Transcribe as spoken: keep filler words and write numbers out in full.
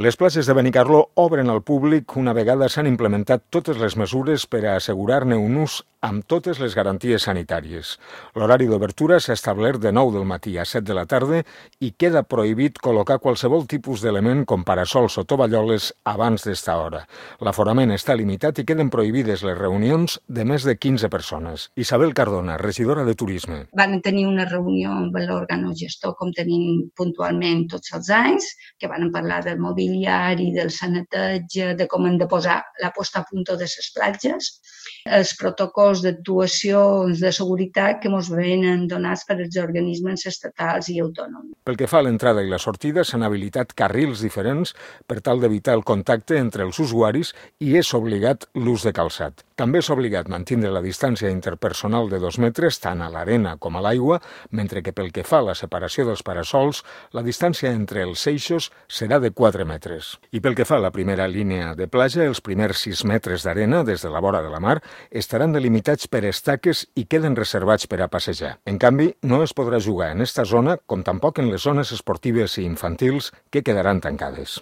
Les platges de Benicarló obren al públic una vegada s'han implementat totes les mesures per a assegurar-ne un ús amb totes les garanties sanitàries. L'horari d'obertura s'ha establert de nou del matí a set de la tarda i queda prohibit col·locar qualsevol tipus d'element com parasols o tovalloles abans d'esta hora. L'aforament està limitat i queden prohibides les reunions de més de quinze persones. Isabel Cardona, regidora de Turisme. Van tenir una reunió amb l'organogestor, com tenim puntualment tots els anys, que van parlar del mobiliari, del sanitatge, de com hem de posar la posta a punt de les platges, els protocols d'actuacions de seguretat que ens venen donats per els organismes estatals i autònoms. Pel que fa a l'entrada i la sortida, s'han habilitat carrils diferents per tal d'evitar el contacte entre els usuaris i és obligat l'ús de calçat. També és obligat mantenir la distància interpersonal de dos metres tant a l'arena com a l'aigua, mentre que pel que fa a la separació dels parasols, la distància entre els eixos serà de quatre metres. I pel que fa a la primera línia de platja, els primers sis metres d'arena des de la vora de la mar estaran delimitats per estaques i queden reservats per a passejar. En canvi, no es podrà jugar en esta zona com tampoc en les zones esportives i infantils que quedaran tancades.